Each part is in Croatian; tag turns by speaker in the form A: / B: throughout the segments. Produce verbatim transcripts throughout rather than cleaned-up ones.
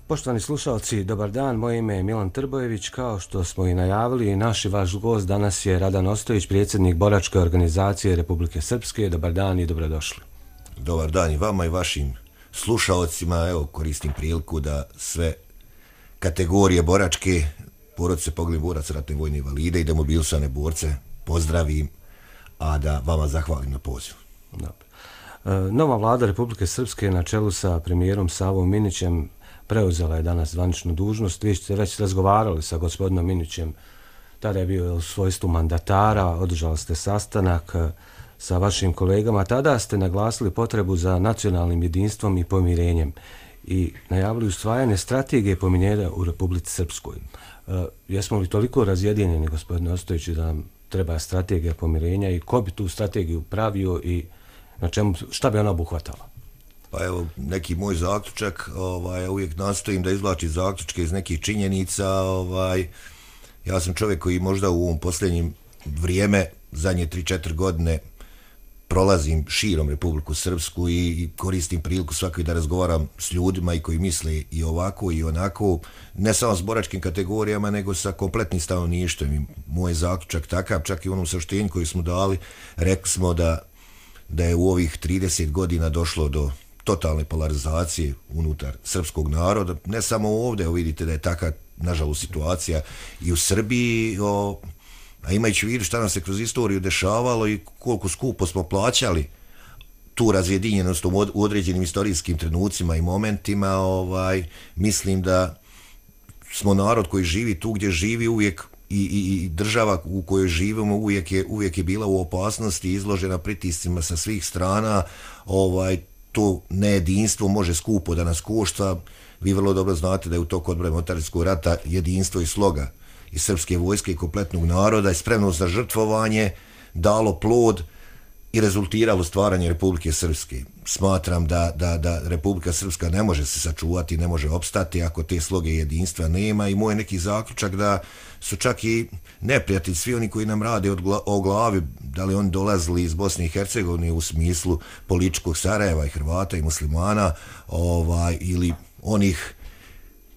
A: Poštovani slušalci, dobar dan, moje ime je Milan Trbojević. Kao što smo i najavili, naš i vaš gost danas je Radan Ostojić, predsjednik Boračke organizacije Republike Srpske. Dobar dan i dobrodošli.
B: Dobar dan i vama i vašim slušalcima. Evo, koristim priliku da sve kategorije boračke, porodice poginulih boraca, ratne vojne invalide i demobilisane borce pozdravim, a da vama zahvalim na pozivu.
A: Dobro. Nova vlada Republike Srpske na čelu sa premijerom Savom Minićem preuzela je danas zvaničnu dužnost. Vi ste već razgovarali sa gospodinom Minićem, tada je bio u svojstvu mandatara, održali ste sastanak sa vašim kolegama, tada ste naglasili potrebu za nacionalnim jedinstvom i pomirenjem i najavili usvajanje strategije pomirenja u Republici Srpskoj. E, jesmo li toliko razjedinjeni, gospodine Ostojiću, da nam treba strategija pomirenja i ko bi tu strategiju pravio i na čemu, šta bi ona obuhvatala?
B: Pa evo, neki moj zaključak, ovaj, ja uvijek nastojim da izvlačim zaključke iz nekih činjenica. Ovaj, ja sam čovjek koji možda u ovom posljednjem vrijeme, zadnje tri četiri godine, prolazim širom Republiku Srpsku i koristim priliku svakoj da razgovaram s ljudima i koji misle i ovako i onako, ne samo s boračkim kategorijama, nego sa kompletnim stanovništvom. I moj zaključak takav, čak i u onom saopštenju koji smo dali, rekli smo da, da je u ovih trideset godina došlo do totalne polarizacije unutar srpskog naroda, ne samo ovdje, vidite da je taka, nažalost, situacija i u Srbiji, o, a imajući u vidu šta nam se kroz istoriju dešavalo i koliko skupo smo plaćali tu razjedinjenost u određenim istorijskim trenucima i momentima, ovaj, mislim da smo narod koji živi tu gdje živi uvijek i, i, i država u kojoj živimo uvijek je, uvijek je bila u opasnosti, izložena pritiscima sa svih strana. Ovaj, to nejedinstvo može skupo da nas košta. Vi vrlo dobro znate da je u toku odbrane Motarinskog rata jedinstvo i sloga i srpske vojske i kompletnog naroda i spremnost za žrtvovanje dalo plod i rezultiralo stvaranje Republike Srpske. Smatram da, da, da Republika Srpska ne može se sačuvati, ne može opstati ako te sloge jedinstva nema i moj neki zaključak da su čak i neprijatelji, svi oni koji nam rade od gla, o glavi, da li oni dolazili iz Bosne i Hercegovine u smislu političkog Sarajeva i Hrvata i muslimana, ovaj, ili onih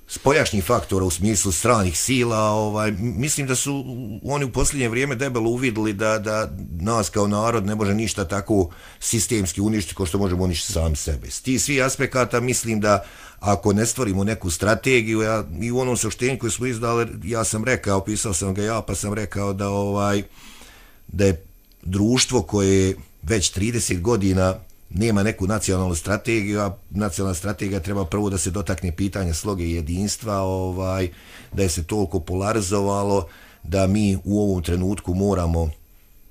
B: spoljašnjih faktora u smislu stranih sila, ovaj, mislim da su oni u posljednje vrijeme debelo uvidjeli da, da nas kao narod ne može ništa tako sistemski uništiti kao što možemo uništiti sami sebe. S tih svih aspekata mislim da ako ne stvorimo neku strategiju, ja, i u onom saopštenju koje smo izdali, ja sam rekao, pisao sam ga ja, pa sam rekao da, ovaj, da je društvo koje već trideset godina nema neku nacionalnu strategiju, a nacionalna strategija treba prvo da se dotakne pitanja sloge i jedinstva, ovaj, da je se toliko polarizovalo da mi u ovom trenutku moramo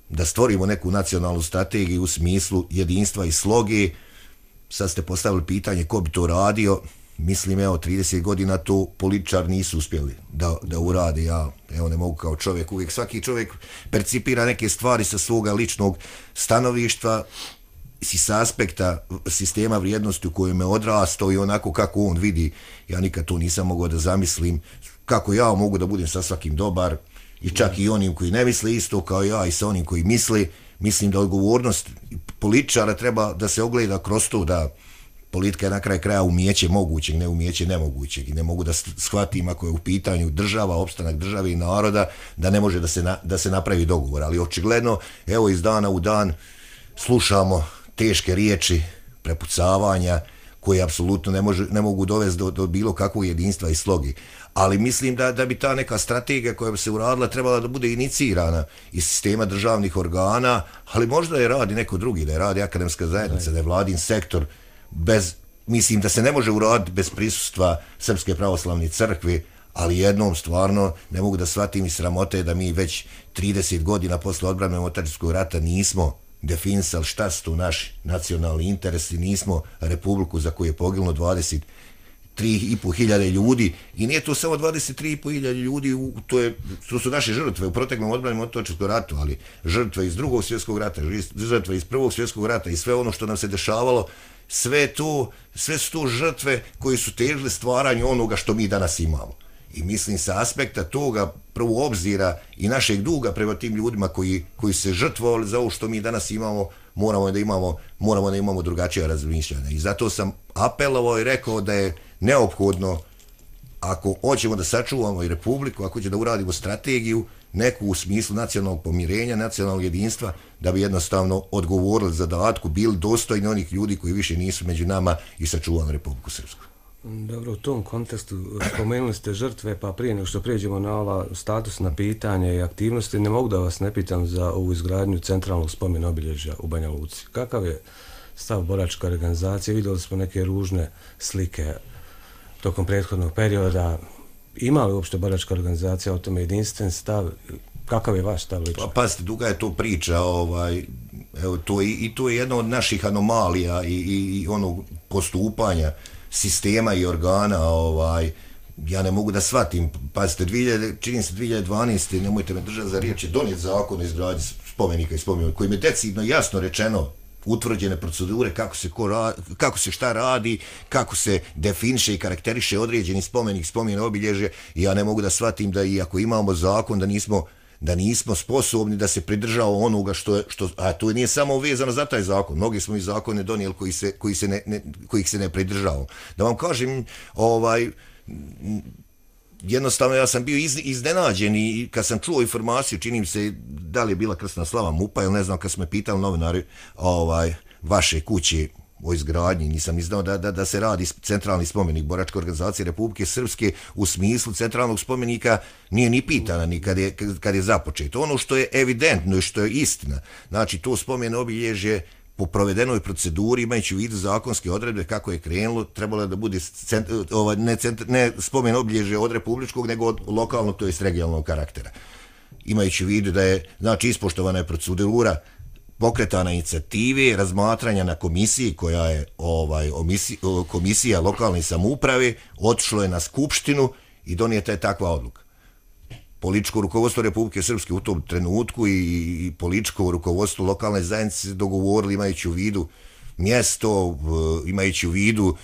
B: da stvorimo neku nacionalnu strategiju u smislu jedinstva i sloge. Sad ste postavili pitanje ko bi to radio. Mislim, evo, trideset godina to političar nisu uspjeli da, da urade. Ja, evo, ne mogu kao čovjek, uvijek svaki čovjek percipira neke stvari sa svoga ličnog stanovišta i sa aspekta sistema vrijednosti u kojem je odrastao i onako kako on vidi. Ja nikad to nisam mogao da zamislim kako ja mogu da budem sa svakim dobar i čak i onim koji ne misle isto kao ja i sa onim koji misli. Mislim da odgovornost političara treba da se ogleda kroz to da politika je na kraj kraja umijeće mogućeg, ne umijeće nemogućeg i ne mogu da shvatim ako je u pitanju država, opstanak države i naroda, da ne može da se, na, da se napravi dogovor. Ali očigledno, evo iz dana u dan slušamo teške riječi, prepucavanja koje apsolutno ne, može, ne mogu dovesti do, do bilo kakvog jedinstva i slogi. Ali mislim da, da bi ta neka strategija koja bi se uradila trebala da bude inicirana iz sistema državnih organa, ali možda je radi neko drugi, da je radi akademska zajednica, da je vladin sektor, bez, mislim da se ne može uraditi bez prisustva Srpske pravoslavne crkve, ali jednom stvarno ne mogu da shvatim i sramote da mi već trideset godina posle odbrane Motarinskog rata nismo definisali šta su tu naši nacionalni interesi, nismo republiku za koju je poginulo dvadeset tri i po hiljade ljudi i nije to samo dvadeset tri i po hiljade ljudi, to, je, to su naše žrtve u proteklom odbrani Motarinskog ratu, ali žrtve iz drugog svjetskog rata, žrtve iz prvog svjetskog rata i sve ono što nam se dešavalo, sve, to, sve su to žrtve koje su težile stvaranju onoga što mi danas imamo. I mislim sa aspekta toga prvo obzira i našeg duga prema tim ljudima koji, koji se žrtvovali za ovo što mi danas imamo, moramo da imamo, moramo da imamo drugačije razmišljanja. I zato sam apelovao i rekao da je neophodno ako hoćemo da sačuvamo i Republiku, ako hoćemo da uradimo strategiju, neku u smislu nacionalnog pomirenja, nacionalnog jedinstva, da bi jednostavno odgovorili zadatku, bili dostojni onih ljudi koji više nisu među nama i sačuvali Republiku Srpsku.
A: Dobro, u tom kontekstu spomenuli ste žrtve, pa prije nego što prijeđemo na ova statusna pitanja i aktivnosti, ne mogu da vas ne pitam za ovu izgradnju centralnog spomen obilježja u Banja Luci. Kakav je stav boračke organizacije? Vidjeli smo neke ružne slike tokom prethodnog perioda. Ima li uopšte boračka organizacija o tome jedinstven stav? Kakav je vaš stav lično?
B: Pa pazite, duga je to priča, ovaj, evo, to je, i to je jedna od naših anomalija i, i, i onog postupanja sistema i organa, ovaj, ja ne mogu da shvatim, pazite, čini se dvije hiljade dvanaeste. nemojte me držati za riječ, je donijet zakon o izgradnji spomenika i spomenika, kojim je decidno jasno rečeno utvrđene procedure kako se, ko ra, kako se šta radi, kako se definiše i karakteriše određeni spomenik, spomen obilježje, i ja ne mogu da shvatim da i ako imamo zakon da nismo da nismo sposobni da se pridržava onoga što je, što, a to nije samo vezano za taj zakon, mnogi smo i zakone donijeli koji se, koji se ne, ne, kojih se ne pridržavamo. Da vam kažem, ovaj, jednostavno ja sam bio iz, iznenađen i kad sam čuo informaciju, čini mi se da li je bila krsna slava MUP-a ili ne znam, kad smo me pitali novinari ovaj, vaše kuće o izgradnji, nisam ni znao da, da, da se radi centralni spomenik boračke organizacije Republike Srpske u smislu centralnog spomenika, nije ni pitana ni kad je, kad je započeto. Ono što je evidentno i što je istina, znači to spomen obilježje po provedenoj proceduri, imajući u vidu zakonske odredbe kako je krenulo, trebalo da bude cent, ovaj, ne, cent, ne spomen obilježje od republičkog, nego od lokalnog, to jest regionalnog karaktera. Imajući u vidu da je, znači, ispoštovana je procedura, pokretana inicijative, razmatranja na komisiji koja je ovaj, omisi, komisija lokalne samouprave, otišlo je na skupštinu i donijeta je takva odluka. Političko rukovodstvo Republike Srpske u tom trenutku i, i političko rukovodstvo lokalne zajednice se dogovorili, imajući u vidu mjesto, imajući u vidu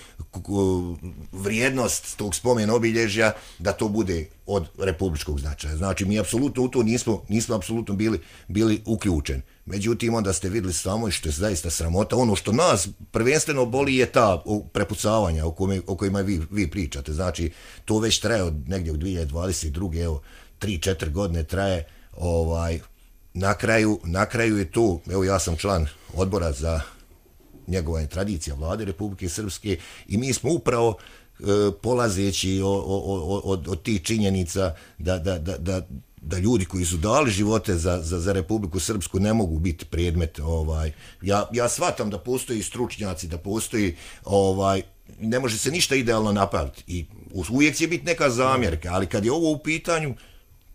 B: vrijednost tog spomen obilježja, da to bude od republičkog značaja. Znači, mi apsolutno u to nismo, nismo apsolutno bili, bili uključeni. Međutim, onda ste vidjeli samo, i što je zaista sramota, ono što nas prvenstveno boli je ta prepucavanja o, kome, o kojima vi, vi pričate. Znači, to već traje od negdje u dvije hiljade dvadeset druge. evo, tri četiri godine traje, ovaj, na kraju, na kraju je to, evo ja sam član odbora za njegovanje tradicija Vlade Republike Srpske i mi smo upravo e, polazeći od, od tih činjenica da, da, da, da, da ljudi koji su dali živote za, za, za Republiku Srpsku ne mogu biti predmet. Ovaj, ja, ja shvatam da postoji stručnjaci, da postoji, ovaj, ne može se ništa idealno napraviti i uvijek će biti neka zamjerka, ali kad je ovo u pitanju,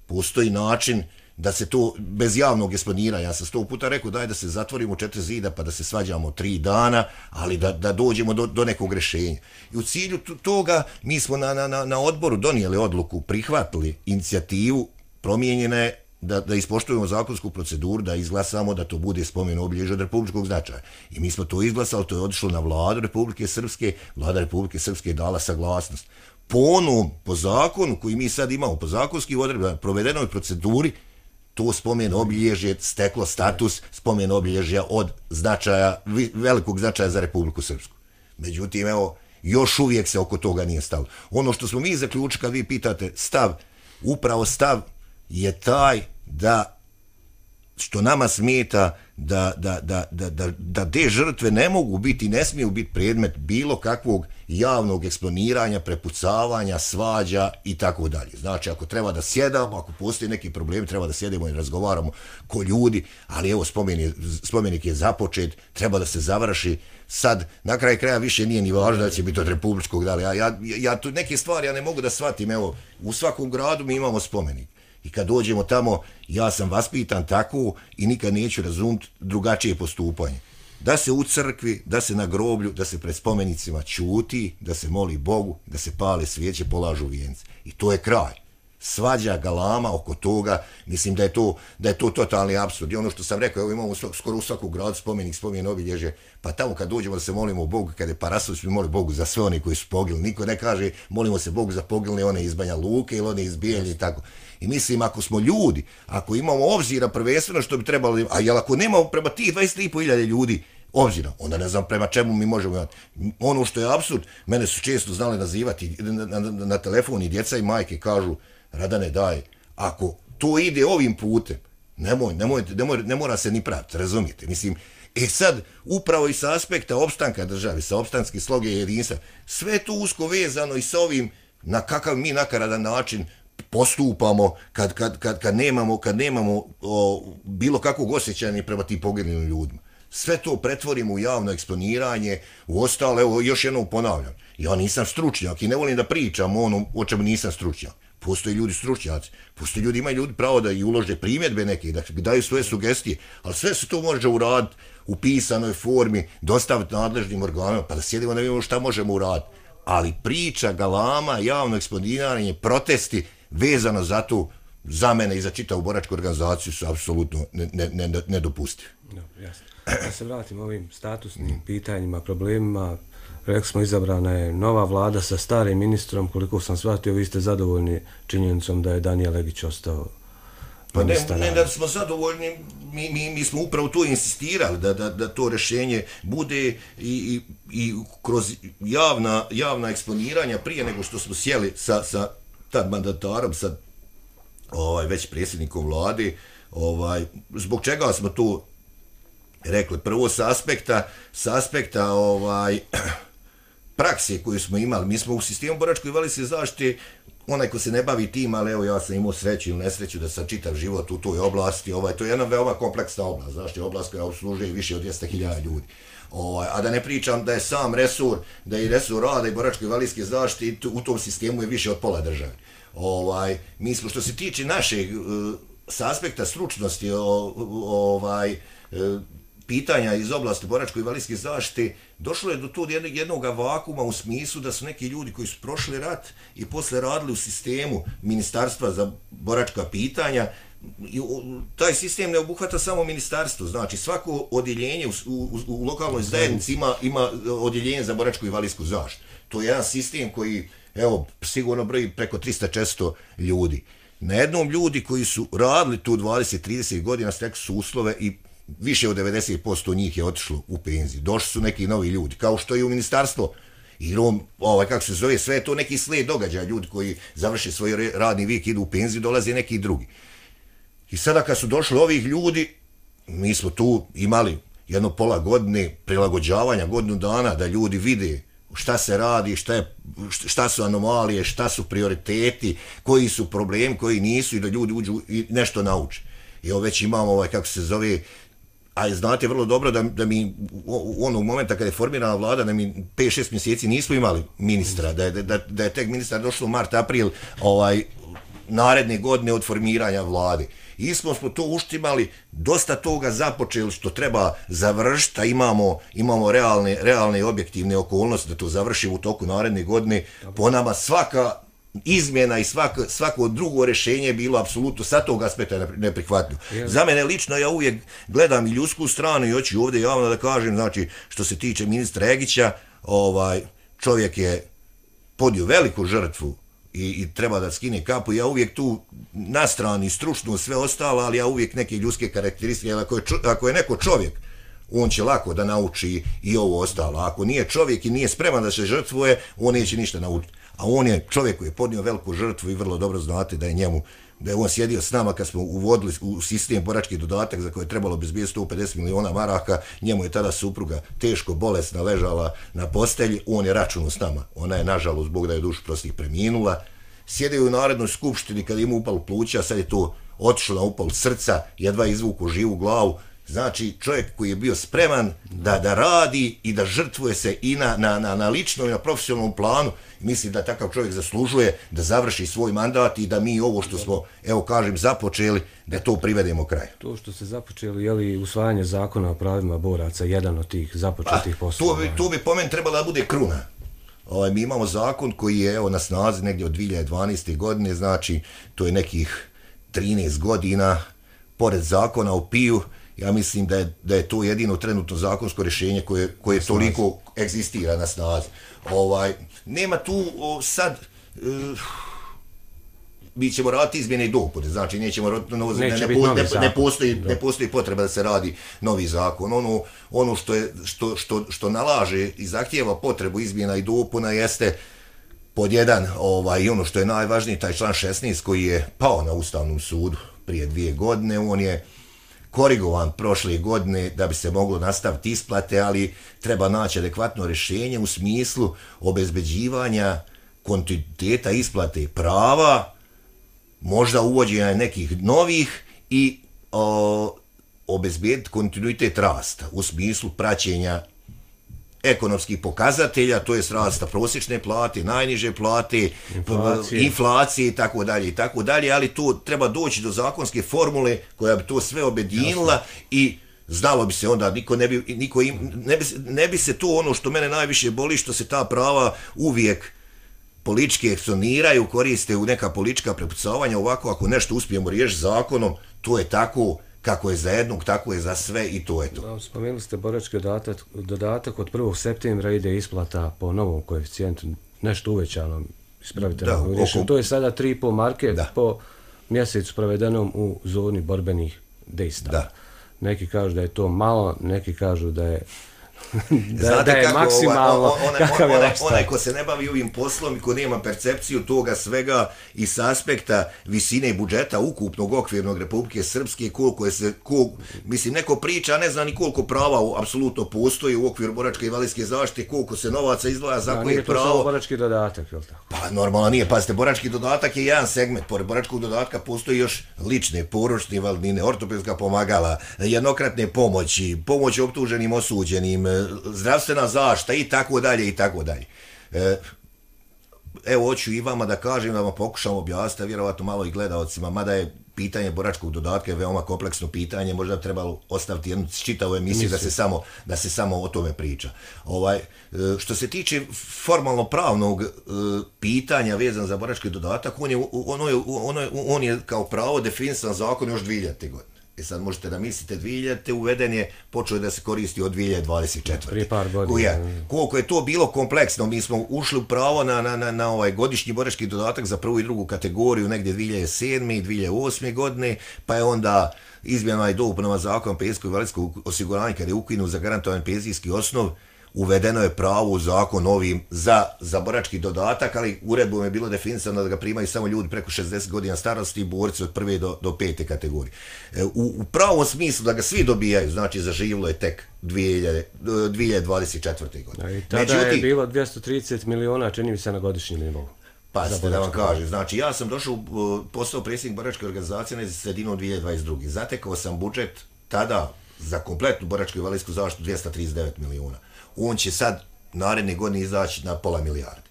B: postoji način da se to bez javnog eksponiranja, ja sam sto puta rekao daj da se zatvorimo četiri zida pa da se svađamo tri dana, ali da, da dođemo do, do nekog rješenja. I u cilju toga mi smo na, na, na odboru donijeli odluku, prihvatili inicijativu, promijenjene, da, da ispoštujemo zakonsku proceduru, da izglasamo da to bude spomen obilježje od republičkog značaja. I mi smo to izglasali, to je otišlo na Vladu Republike Srpske, Vlada Republike Srpske je dala saglasnost. Po onom, po zakonu koji mi sad imamo, po zakonskim odredbama, provedenoj proceduri, to spomen obilježje steklo status spomen obilježja od značaja, velikog značaja za Republiku Srpsku. Međutim, evo, još uvijek se oko toga nije stalo. Ono što smo mi zaključili, kad vi pitate stav, upravo stav je taj da, što nama smeta, da, da, da, da, da, da te žrtve ne mogu biti, ne smiju biti predmet bilo kakvog javnog eksponiranja, prepucavanja, svađa i tako dalje. Znači, ako treba da sjedamo, ako postoji neki problemi, treba da sjedemo i razgovaramo ko ljudi, ali evo, spomen je, spomenik je započet, treba da se završi. Sad, na kraju kraja više nije ni važno da će biti od republičkog, da li, ja, ja, ja tu neke stvari ja ne mogu da shvatim, evo, u svakom gradu mi imamo spomenik. I kad dođemo tamo, ja sam vaspitan tako i nikad neću razumjeti drugačije postupanje. Da se u crkvi, da se na groblju, da se pred spomenicima ćuti, da se moli Bogu, da se pale svijeće, polažu vijence. I to je kraj. Svađa, galama oko toga, mislim da je to, da je to totalni apsurd. I ono što sam rekao, evo imamo skoro u svaku gradu spomenik, spomen obilježje, pa tamo kad dođemo da se molimo Bogu, kad je Parasović, mi moli Bogu za sve one koji su poginuli. Niko ne kaže molimo se Bogu za poginule one iz Banja Luke ili one iz Bijeljne i tako. I mislim, ako smo ljudi, ako imamo obzira prvenstveno što bi trebalo, a jel ako nemamo prema tih dvadeset tri i po hiljade ljudi obzira, onda ne znam prema čemu mi možemo imati. Ono što je apsurd, mene su često znali nazivati na, na, na telefon i djeca i majke kažu, Radane daj, ako to ide ovim putem, nemoj, nemoj, nemoj, ne mora se ni praviti, razumijete, mislim, e sad, upravo i sa aspekta opstanka države, sa opstanske sloge i jedinstva, sve to usko vezano i sa ovim, na kakav mi nakaradan način postupamo kad, kad, kad, kad nemamo, kad nemamo o, bilo kakvog osjećanja prema tim poginulim ljudima. Sve to pretvorimo u javno eksponiranje, u ostalo, evo još jednom ponavljam, ja nisam stručnjak i ne volim da pričam o onom o čemu nisam stručnjak. Postoje ljudi stručnjaci, postoje ljudi, imaju ljudi pravo da i ulože primjedbe neke, da daju svoje sugestije, ali sve se to može uraditi u pisanoj formi, dostaviti nadležnim organima, pa da sjedimo da vidimo šta možemo uraditi. Ali priča, galama, javno eksponiranje, protesti vezano za to, za mene i za čitavu boračku organizaciju su apsolutno nedopustivi.
A: Ne, ne, jasno. Da se vratim ovim statusnim pitanjima, problemima. Rekli smo, izabrana je nova vlada sa starim ministrom, koliko sam shvatio, vi ste zadovoljni činjenicom da je Danijel Legić ostao.
B: Pa ne, ne da smo zadovoljni, mi, mi, mi smo upravo to insistirali, da, da, da to rješenje bude i, i, i kroz javna, javna eksponiranja prije nego što smo sjeli sa, sa tad mandatarom, sa ovaj, već predsjednikom vlade, ovaj, zbog čega smo to rekli. Prvo s aspekta, s aspekta ovaj, prakse koju smo imali. Mi smo u sistemu boračkoj invalidske zaštite, onaj ko se ne bavi tim, ali evo ja sam imao sreću ili nesreću da sam čitav život u toj oblasti, ovaj, to je jedna veoma kompleksna oblast, znači oblast koja obslužuje više od dvjesto hiljada ljudi. Ovaj, a da ne pričam da je sam resur, da je resur rada i boračke invalidske zaštite u tom sistemu je više od pola države. Ovaj, mi smo što se tiče našeg s aspekta stručnosti ovaj, pitanja iz oblasti boračko invalidske zaštite, došlo je do tog jednog vakuma u smislu da su neki ljudi koji su prošli rat i posle radili u sistemu Ministarstva za boračka pitanja. Taj sistem ne obuhvata samo ministarstvo, znači svako odjeljenje u, u, u lokalnoj zajednici ima, ima odjeljenje za boračku invalidsku zaštitu. To je jedan sistem koji, evo, sigurno broji preko tristo četiristo ljudi. Na jednom ljudi koji su radili tu dvadeset trideset godina stekli su uslove i više od devedeset posto njih je otišlo u penziju. Došli su neki novi ljudi, kao što i u ministarstvo. I on, ovaj, kako se zove, sve je to neki slijed događaja. Ljudi koji završe svoj radni vijek, idu u penziju, dolaze neki drugi. I sada kad su došli ovih ljudi, mi smo tu imali jedno pola godine prilagođavanja, godinu dana, da ljudi vide šta se radi, šta, je, šta su anomalije, šta su prioriteti, koji su problemi, koji nisu, i da ljudi uđu i nešto nauče. I ovo već imamo, ovaj, kako se zove, a znate vrlo dobro da, da mi u onog momenta kada je formirana vlada, da mi pet šest mjeseci nismo imali ministra, da je, da, da je tek ministar došlo mart, april ovaj, naredne godine od formiranja vlade. I smo smo to uštimali, dosta toga započeli što treba završiti, a imamo, imamo realne, realne i objektivne okolnosti da to završimo u toku naredne godine. Po nama svaka izmjena i svako, svako drugo rješenje je bilo apsolutno sa tog aspekta neprihvatljivo. Za mene lično, ja uvijek gledam i ljudsku stranu i hoću ovdje javno da kažem, znači što se tiče ministra Egića, ovaj, čovjek je podnio veliku žrtvu I, i treba da skine kapu. Ja uvijek tu na strani stručno sve ostalo, ali ja uvijek neke ljudske karakteristike, ako je, čo, ako je neko čovjek, on će lako da nauči i ovo ostalo. Ako nije čovjek i nije spreman da se žrtvuje, on neće ništa naučiti. A on je čovjek koji je podnio veliku žrtvu i vrlo dobro znate da je njemu, da je on sjedio s nama kad smo uvodili u sistem borački dodatak za koje je trebalo bezbijeti sto pedeset miliona maraka, njemu je tada supruga teško bolesna ležala na postelji, on je računao s nama. Ona je nažalost, Bog da je dušu prostih, preminula. Sjedio u Narodnoj skupštini kad ima upal pluća, sad je to otišlo na upal srca, jedva izvuku živu glavu. Znači čovjek koji je bio spreman da, da radi i da žrtvuje se i na, na, na, na ličnom i na profesionalnom planu. Mislim da takav čovjek zaslužuje da završi svoj mandat i da mi ovo što smo, evo kažem, započeli, da to privedemo kraju.
A: To što ste započeli, je li usvajanje zakona o pravima boraca jedan od tih započetih poslova?
B: To bi, to bi po meni trebala da bude kruna. Ovaj, mi imamo zakon koji je evo na snazi negdje od dvije hiljade dvanaeste. godine, znači to je nekih trinaest godina, pored zakona o piju. Ja mislim da je, da je to jedino trenutno zakonsko rješenje koje, koje toliko egzistira na snazi. Ovaj, nema tu o, sad, e, mi ćemo raditi izmjene i dopune, znači nećemo, no, ne,
A: Neće
B: ne, ne, ne, postoji, ne postoji potreba da se radi novi zakon. Ono, ono što, je, što, što, što nalaže i zahtijeva potrebu izmjena i dopuna jeste pod jedan, ovaj, i ono što je najvažnije, taj član šesnaest koji je pao na Ustavnom sudu prije dvije godine, on je korigovan prošle godine da bi se moglo nastaviti isplate, ali treba naći adekvatno rješenje u smislu obezbeđivanja kontinuiteta isplate prava, možda uvođenja nekih novih i o, obezbediti kontinuitet rasta u smislu praćenja ekonomskih pokazatelja, to je rasta prosječne plate, najniže plate, inflacije, inflacije i tako dalje i tako dalje, ali tu treba doći do zakonske formule koja bi to sve objedinila. Jasno. I znalo bi se onda, niko ne bi, niko im, ne bi, ne bi se to ono što mene najviše boli, što se ta prava uvijek politički eksoniraju, koriste u neka politička prepucavanja. Ovako, ako nešto uspijemo riješiti zakonom, to je tako kako je za jednog, tako je za sve i to je to.
A: Spomenuli ste borački dodatak, dodatak od prvog septembra ide isplata po novom koeficijentu, nešto uvećanom, ispravite na oko... To je sada tri i pol marke da. Po mjesecu provedenom u zoni borbenih dejstava. Da. Neki kažu da je to malo, neki kažu da je da,
B: Znate
A: da je
B: kako,
A: maksimalno,
B: onaj, onaj, kakav je onaj, onaj ko se ne bavi ovim poslom i ko nema percepciju toga svega i s aspekta visine budžeta ukupnog okvirnog Republike Srpske, koliko je se, kol, mislim, neko priča, ne zna ni koliko prava apsolutno postoji u okviru boračke i invalidske zaštite, koliko se novaca izdvaja za koje je pravo.
A: Nije to samo borački dodatak, je li tako?
B: Pa normalno nije, pazite, borački dodatak je jedan segment, pored boračkog dodatka postoji još lične, porodične invalidnine, ortopedska pomagala, jednokratne pomoći, pomoć optuženim, osuđenim, zdravstvena zaštita i tako dalje i tako dalje. Evo, hoću i vama da kažem, da vam pokušam objasniti, vjerovatno malo i gledalcima, mada je pitanje boračkog dodatka je veoma kompleksno pitanje, možda bi trebalo ostaviti jednu čitavu emisiju da se samo da se samo o tome priča. Ovaj, što se tiče formalno pravnog pitanja vezan za borački dodatak, on je, ono je, ono je, on je kao pravo definisan zakon još dvije hiljadite. godine. E sad možete da mislite, dvije hiljadite uveden je, počeo je da se koristi od dvije hiljade dvadeset četvrte.
A: Prije par godina.
B: Je, koliko je to bilo kompleksno, mi smo ušli u pravo na, na, na, na ovaj godišnji borački dodatak za prvu i drugu kategoriju negdje dvije hiljade sedme i dvije hiljade osme godine, pa je onda izmjenama i dopunama zakona penzijskog i invalidskog osiguranja, kada je ukinut za garantovan penzijski osnov, uvedeno je pravo u zakon ovim za, za borački dodatak, ali uredbom je bilo definisano da ga primaju samo ljudi preko šezdeset godina starosti i borci od prve do, do pete kategorije. U, u pravom smislu da ga svi dobijaju, znači zaživilo je tek dvije hiljade dvadeset četvrte. godine.
A: I tada Međutim, je bilo dvjesto trideset miliona, čini mi se, na godišnji nivou.
B: Pa ste da vam kažem, znači ja sam došao u postao predsjednik boračke organizacije na sredinom dvije hiljade dvadeset druge. Zatekao sam budžet tada za kompletnu boračku i invalidsku zaštitu dvjesto trideset devet miliona. On će sad naredne godine izaći na pola milijarde.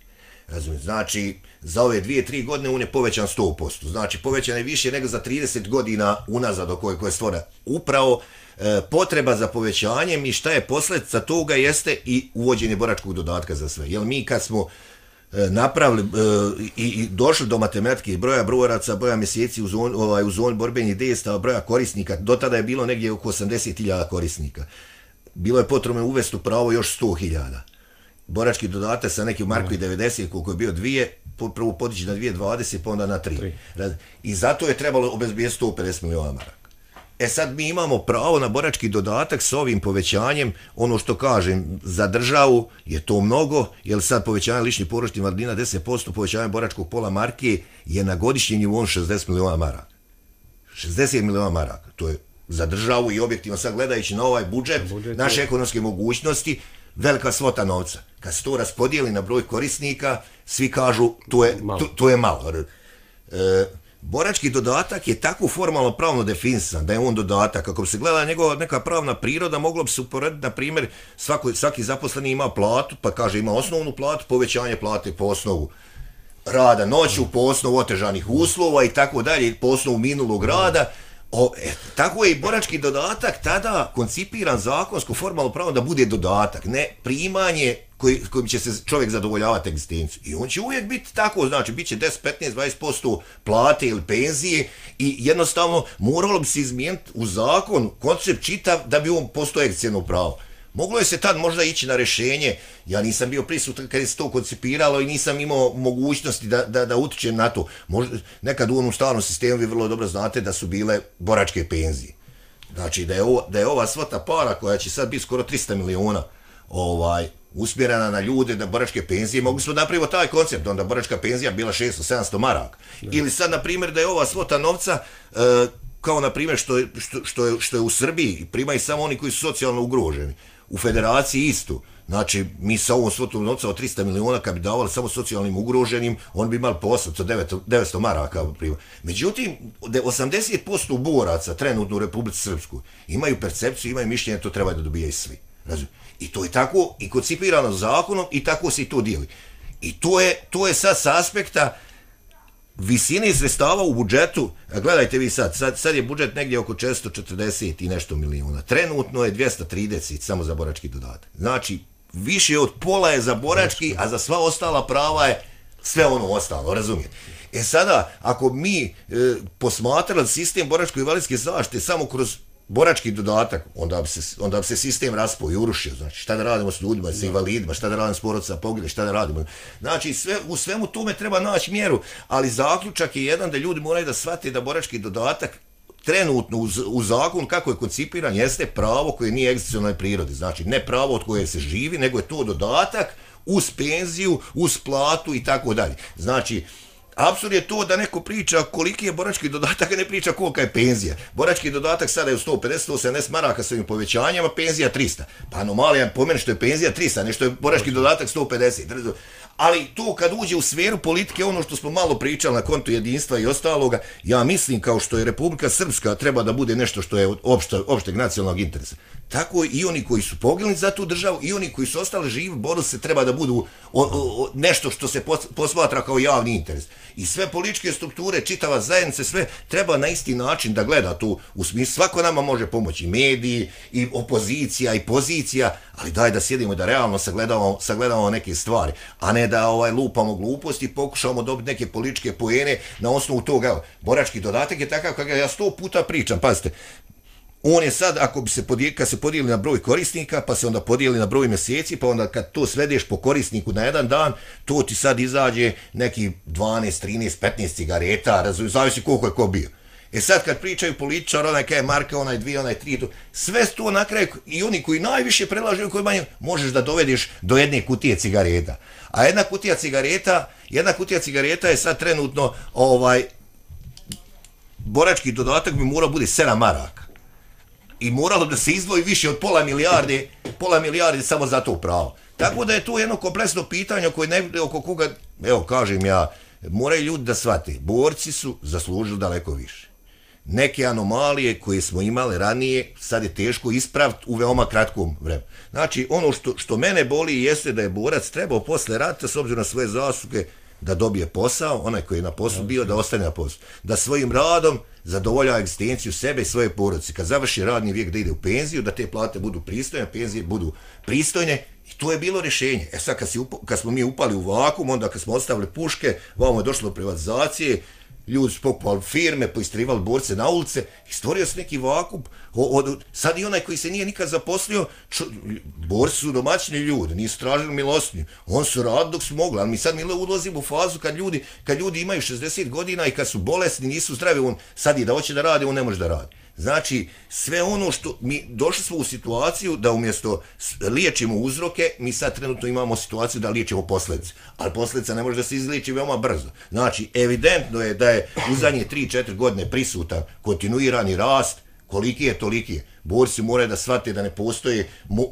B: Razumijete? Znači, za ove dvije, tri godine on je povećan sto posto. Znači, povećan je više nego za trideset godina unazad o kojoj je stvora. Upravo e, potreba za povećanjem i šta je posljedica toga jeste i uvođenje boračkog dodatka za sve. Jer mi kad smo e, napravili e, i, i došli do matematike broja boraca, broja mjeseci u zoni, ovaj, u zoni borbenih dejstava, broja korisnika, do tada je bilo negdje oko osamdeset hiljada korisnika. Bilo je potrebno uvesti u pravo još sto hiljada. Borački dodatak sa nekim marku i devedeset, koliko je bio dvije, prvo podići na dvije dvadeset, pa onda na tri. I zato je trebalo obezbijeti sto pedeset miliona maraka. E sad mi imamo pravo na borački dodatak s ovim povećanjem, ono što kažem, za državu je to mnogo, jer sad povećanje ličnih porodičnih invalidnina deset posto, povećanje boračkog pola marke je na godišnjem nivou šezdeset miliona maraka. šezdeset miliona maraka, to je za državu i objektivno sad gledajući na ovaj budžet, budžet naše je... ekonomske mogućnosti, velika svota novca. Kad se to raspodijeli na broj korisnika, svi kažu to je malo. To, to je malo. E, borački dodatak je tako formalno pravno definisan da je on dodatak. Ako bi se gledala njegova neka pravna priroda, moglo bi se uporediti, na primjer, svako, svaki zaposleni ima platu, pa kaže ima osnovnu platu, povećanje plate po osnovu rada noću, po osnovu otežanih uslova i tako dalje, po osnovu minulog rada. O, e, tako je i borački dodatak tada koncipiran zakonsko formalno pravo da bude dodatak, ne primanje koji, kojim će se čovjek zadovoljavati egzistenciju. I on će uvijek biti tako, znači bit će deset, petnaest, dvadeset posto plate ili penzije i jednostavno moralo bi se izmijeniti u zakon koncept čitav da bi on postao egzistencijalno pravo. Moglo je se tad možda ići na rješenje, ja nisam bio prisutan kad je se to koncipiralo i nisam imao mogućnosti da, da, da utičem na to. Možda, nekad u onom stalnom sistemu vi vrlo dobro znate da su bile boračke penzije. Znači da je, ovo, da je ova svota para koja će sad biti skoro tristo miliona ovaj, usmjerena na ljude, na boračke penzije, mogli smo napraviti taj koncept, onda boračka penzija bila šesto sedamsto maraka. Ili sad, na primjer, da je ova svota novca, e, kao na primjer što je, što, što, je, što je u Srbiji, primaju samo oni koji su socijalno ugroženi. U federaciji isto. Znači, mi sa ovom svotom novca od tristo miliona, kad bi davali samo socijalnim ugroženim, on bi imali po osamsto devetsto maraka. Međutim, osamdeset posto boraca trenutno u Republici Srpskoj imaju percepciju, imaju mišljenje, to treba da dobijaju svi. Razumije? I to je tako i koncipirano zakonom i tako se i to dijeli. I to je, to je sad s aspekta visine sredstava u budžetu. A gledajte vi sad, sad, sad je budžet negdje oko četiristo četrdeset i nešto milijuna. Trenutno je dvjesto trideset samo za borački dodatak. Znači, više od pola je za borački, a za sva ostala prava je sve ono ostalo, razumijete? E sada, ako mi e, posmatrali sistem boračko-invalidske zaštite samo kroz borački dodatak, onda bi se, onda bi se sistem raspao i urušio. Znači, šta da radimo s ljudima, s invalidima, šta da radimo s porodicama pogibelih, šta da radimo. Znači, sve, u svemu tome treba naći mjeru, ali zaključak je jedan da ljudi moraju da shvate da borački dodatak trenutno u, u zakon kako je koncipiran jeste pravo koje nije egzistencionalne prirode. Znači, ne pravo od koje se živi, nego je to dodatak uz penziju, uz platu i tako dalje. Znači, apsurd je to da neko priča koliki je borački dodatak, a ne priča kolika je penzija. Borački dodatak sada je u sto pedeset do sto sedamdeset maraka s ovim povećanjama, penzija tristo. Pa anomalija po meni što je penzija tristo, nešto je borački dodatak sto pedeset. Ali to kad uđe u sferu politike, ono što smo malo pričali na kontu jedinstva i ostaloga, ja mislim kao što je Republika Srpska treba da bude nešto što je od opšte, opšteg nacionalnog interesa. Tako i oni koji su poginuli za tu državu i oni koji su ostali živi, borili se treba da budu o, o, nešto što se posmatra kao javni interes. I sve političke strukture, čitava zajednica, sve treba na isti način da gleda tu u smislu. Svako nama može pomoći, mediji, i opozicija, i pozicija, ali daj da sjedimo i da realno sagledavamo, sagledavamo neke stvari, a ne da ovaj, lupamo gluposti i pokušamo dobiti neke političke poene na osnovu toga. Evo, borački dodatak je takav kako ja sto puta pričam, pazite. On je sad, ako bi se podijeli, kad se podijeli na broj korisnika, pa se onda podijeli na broj mjeseci, pa onda kad to svedeš po korisniku na jedan dan, to ti sad izađe neki dvanaest, trinaest, petnaest cigareta, razumiju, zavisi koliko je ko bio. E sad kad pričaju političar, onaj kaj je marka, onaj dvije, onaj tri, to, sve to na kraju, i oni koji najviše predlažu, koji manje, možeš da dovedeš do jedne kutije cigareta. A jedna kutija cigareta, jedna kutija cigareta je sad trenutno, ovaj, borački dodatak bi morao bude sedam maraka. I moralo da se izdvoji više od pola milijarde, pola milijarde samo za to pravo. Tako da je to jedno kompleksno pitanje koje ne, oko koga, evo kažem ja, moraju ljudi da shvate, borci su zaslužili daleko više. Neke anomalije koje smo imali ranije, sad je teško ispraviti u veoma kratkom vremenu. Znači, ono što, što mene boli jeste da je borac trebao posle rata, s obzirom na svoje zasluge, da dobije posao, onaj koji je na poslu bio, da ostane na poslu. Da svojim radom zadovoljava egzistenciju sebe i svoje porodice. Kad završi radni vijek da ide u penziju, da te plate budu pristojne, penzije budu pristojne, i to je bilo rješenje. E sad, kad, si upa, kad smo mi upali u vakum, onda kad smo ostavili puške, vamo je došlo do privatizacije, ljudi su pokupali firme, poistrivali borce na ulice i stvorio se neki vakup. O, o, sad i onaj koji se nije nikad zaposlio, čo, borci su domaćini ljudi, nisu tražili milostinju. On su radili dok su mogli, ali mi sad mi ulazimo u fazu kad ljudi, kad ljudi imaju šezdeset godina i kad su bolesni, nisu zdravi, on sad i da hoće da radi, on ne može da radi. Znači, sve ono što mi došli smo u situaciju da umjesto liječimo uzroke, mi sad trenutno imamo situaciju da liječimo posljedice. Ali posljedica ne može da se izliječi veoma brzo. Znači, evidentno je da je u zadnje tri četiri godine prisutan kontinuirani rast, koliki je, toliki je. Borci moraju da shvate da ne postoji,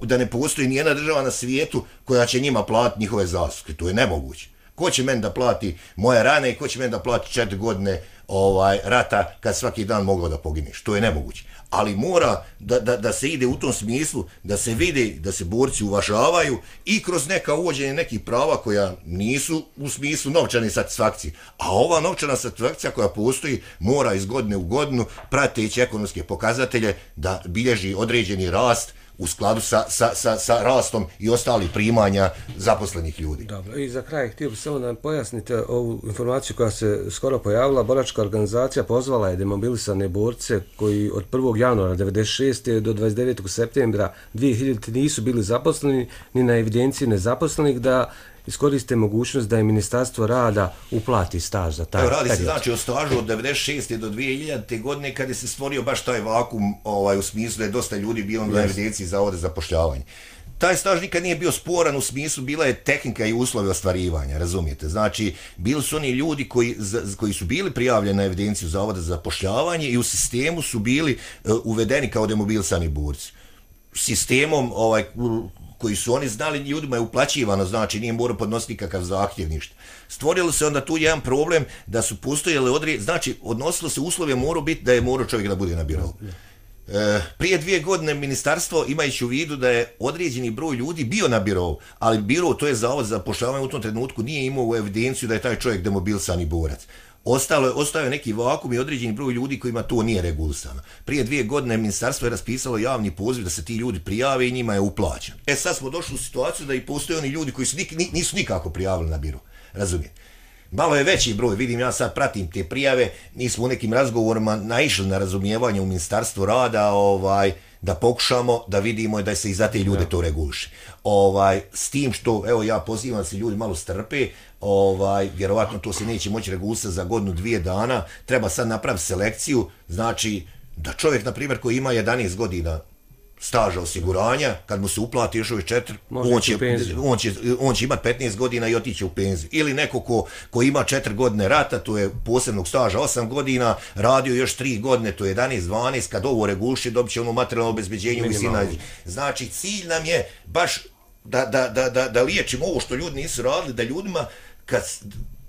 B: da ne postoji nijedna država na svijetu koja će njima platiti njihove zasluge. To je nemoguće. Ko će meni da plati moje rane i ko će meni da plati četiri godine ovaj, rata kad svaki dan mogao da pogineš. To je nemoguće. Ali mora da, da, da se ide u tom smislu, da se vidi, da se borci uvažavaju i kroz neka uvođenje nekih prava koja nisu u smislu novčane satisfakcije. A ova novčana satisfakcija koja postoji mora iz godine u godinu prateći ekonomske pokazatelje da bilježi određeni rast u skladu sa, sa, sa, sa rastom i ostalih primanja zaposlenih ljudi.
A: Dobro, i za kraj htio bih samo da nam pojasnite ovu informaciju koja se skoro pojavila. Boračka organizacija pozvala je demobilisane borce koji od prvog januara devedeset šeste do dvadeset devetog septembra dvije hiljadite nisu bili zaposleni ni na evidenciji nezaposlenih da iskoriste mogućnost da je Ministarstvo rada uplati staž za taj
B: period. Radi se
A: period.
B: znači o stažu od devedeset šeste do dvije hiljadite godine kada se stvorio baš taj vakum ovaj, u smislu da je dosta ljudi bilo na evidenciji zavoda za zapošljavanje. Taj staž nikad nije bio sporan u smislu, bila je tehnika i uslovi ostvarivanja, razumijete? Znači, bili su oni ljudi koji, koji su bili prijavljeni na evidenciju zavoda za zapošljavanje i u sistemu su bili uh, uvedeni kao demobilisani borci. Sistemom ovaj, koji su oni znali, ljudima je uplaćivano, znači nije morao podnositi nikakav zahtjev, ništa. Stvorilo se onda tu jedan problem da su postojali određeni, znači odnosilo se uslove morao biti da je morao čovjek da bude na birou. E, prije dvije godine ministarstvo, imajući u vidu da je određeni broj ljudi bio na birou, ali biro, to je zavod za zapošljavanje u tom trenutku, nije imao u evidenciju da je taj čovjek demobilisani borac. Ostalo je, ostao je neki vakum i određeni broj ljudi kojima to nije regulisano. Prije dvije godine ministarstvo je raspisalo javni poziv da se ti ljudi prijave i njima je uplaćen. E sad smo došli u situaciju da i postoje oni ljudi koji su nik, nisu nikako prijavili na biro. Razumijete? Malo je veći broj, vidim, ja sad pratim te prijave, mi smo u nekim razgovorima naišli na razumijevanje u Ministarstvu rada, ovaj, da pokušamo da vidimo da se i za te ljude to reguliše. Ovaj, s tim što, evo ja pozivam da se ljudi malo strpe, ovaj, vjerovatno to se neće moći regulisati za godinu, dvije dana, treba sad napraviti selekciju, znači da čovjek, na primjer, koji ima jedanaest godina staža osiguranja, kad mu se uplati još ovih četiri, on će, on, će, on će imati petnaest godina i otići u penziju. Ili neko ko, ko ima četiri godine rata, to je posebnog staža osam godina, radio još tri godine, to je jedanaest dvanaest, kad ovo reguliše, dobit će ono materijalno obezbeđenje. Visina. Znači, cilj nam je baš da, da, da, da, da liječimo ovo što ljudi nisu radili, da ljudima, kad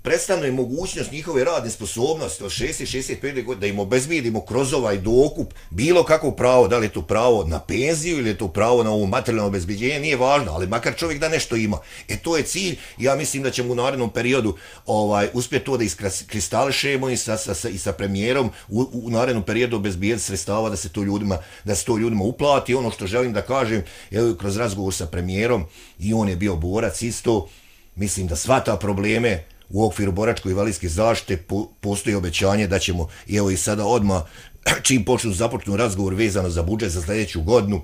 B: prestane mogućnost njihove radne sposobnosti od šezdeset do šezdeset pet godina, da im obezbijedimo kroz ovaj dokup bilo kakvo pravo, da li je to pravo na penziju ili je to pravo na ovo materijalno obezbijeđenje, nije važno, ali makar čovjek da nešto ima. E to je cilj, ja mislim da ćemo u narednom periodu ovaj, uspjeti to da iskristališemo i sa, sa, sa, i sa premijerom u, u narednom periodu obezbijeti sredstava da se to ljudima, da se to ljudima uplati. Ono što želim da kažem, evo, kroz razgovor sa premijerom, i on je bio borac isto, mislim da shvata probleme u okviru boračko-invalidske zaštite, po, postoji obećanje da ćemo, i evo i sada odmah, čim počnu započnu razgovor vezano za budžet za sljedeću godinu,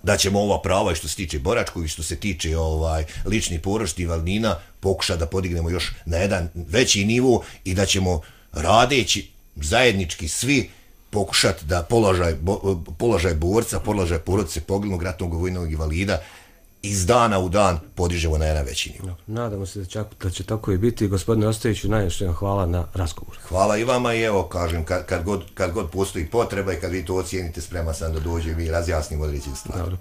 B: da ćemo ova prava i što se tiče boračkog i što se tiče ovaj, ličnih porodičnih invalidnina pokušati da podignemo još na jedan veći nivo i da ćemo radeći zajednički svi pokušati da položaj, bo, položaj borca, položaj porodice poginulog ratnog vojnog invalida iz dana u dan podižemo na jedan veći nivo.
A: Nadamo se da će, da će tako i biti. Gospodine Ostojiću, najviše vam hvala na razgovor.
B: Hvala i vama i evo, kažem, kad, kad, god, kad god postoji potreba i kad vi to ocijenite, spreman sam da dođem i razjasnim određene stvari. Dobro.